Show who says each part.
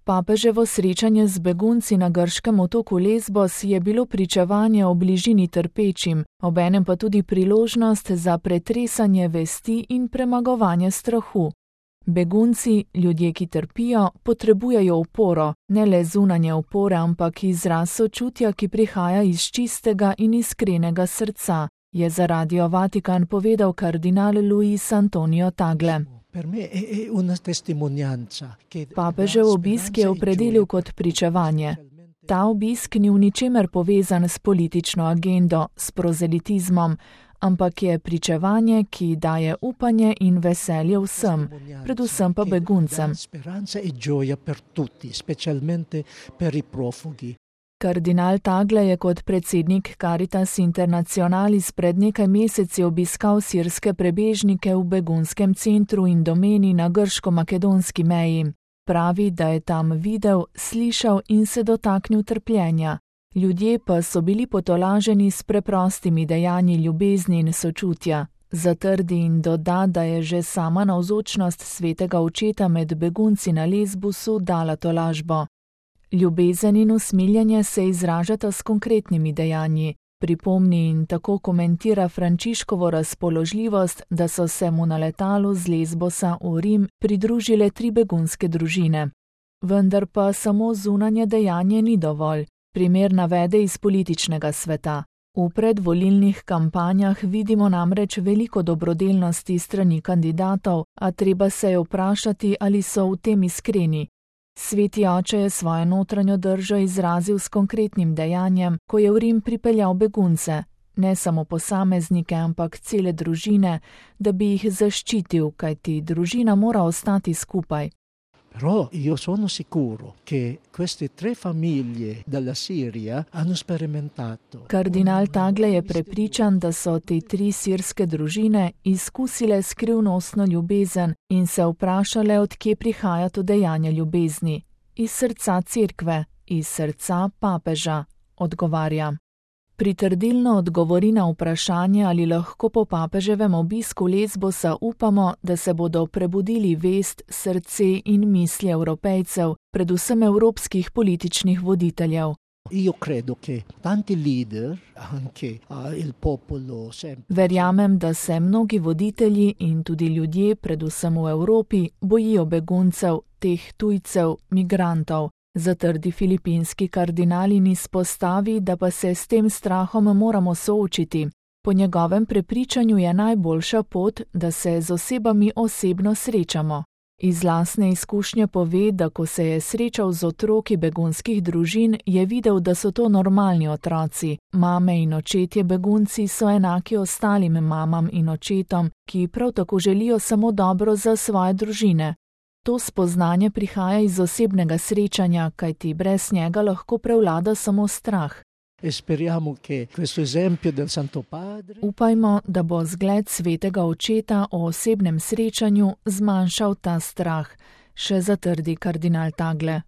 Speaker 1: Papeževo srečanje z begunci na grškem otoku Lesbos je bilo pričevanje o bližini trpečim, obenem pa tudi priložnost za pretresanje vesti in premagovanje strahu. Begunci, ljudje, ki trpijo, potrebujejo oporo, ne le zunanje opore, ampak izraz sočutja, ki prihaja iz čistega in iskrenega srca, je za Radio Vatikan povedal kardinal Luis Antonio Tagle. Papežev obisk je opredelil kot pričevanje. Ta obisk ni v ničemer povezan s politično agendo, s prozelitizmom, ampak je pričevanje, ki daje upanje in veselje vsem, predvsem pa beguncem. Kardinal Tagle je kot predsednik Caritas Internationalis pred nekaj meseci obiskal sirske prebežnike v begunskem centru in domeni na grško-makedonski meji. Pravi, da je tam videl, slišal in se dotaknil trpljenja. Ljudje pa so bili potolaženi s preprostimi dejanji ljubezni in sočutja. Zatrdi in doda, da je že sama navzočnost svetega očeta med begunci na Lesbosu dala tolažbo. Ljubezen in usmiljenje se izražata s konkretnimi dejanji. Pripomni in tako komentira Frančiškovo razpoložljivost, da so se mu na letalu z Lesbosa v Rim pridružile 3 begunske družine. Vendar pa samo zunanje dejanje ni dovolj. Primer navede iz političnega sveta. V predvolilnih kampanjah vidimo namreč veliko dobrodelnosti strani kandidatov, a treba se je vprašati, ali so v tem iskreni. Sveti oče je svojo notranjo držo izrazil s konkretnim dejanjem, ko je v Rim pripeljal begunce, ne samo posameznike, ampak cele družine, da bi jih zaščitil, kajti družina mora ostati skupaj.
Speaker 2: Però io sono sicuro che queste 3 famiglie dalla Siria hanno sperimentato.
Speaker 1: Kardinal Tagle je prepričan, da so te 3 sirske družine izkusile skrivnostno ljubezen in se vprašale, od kje prihaja to dejanje ljubezni. Iz srca cerkve, iz srca papeža, odgovarja. Pritrdilno odgovori na vprašanje, ali lahko po papeževem obisku Lesbosa upamo, da se bodo prebudili vest, srce in misli Evropejcev, predvsem evropskih političnih voditeljev. Verjamem, da se mnogi voditelji in tudi ljudje, predvsem v Evropi, bojijo beguncev, teh tujcev, migrantov. Zatrdi filipinski kardinal in izpostavi, da pa se s tem strahom moramo soočiti. Po njegovem prepričanju je najboljša pot, da se z osebami osebno srečamo. Iz lastne izkušnje pove, da ko se je srečal z otroki begunskih družin, je videl, da so to normalni otroci. Mame in očetje begunci so enaki ostalim mamam in očetom, ki prav tako želijo samo dobro za svoje družine. To spoznanje prihaja iz osebnega srečanja, kajti brez njega lahko prevlada samo strah. Upajmo, da bo zgled svetega očeta o osebnem srečanju zmanjšal ta strah, še zatrdi kardinal Tagle.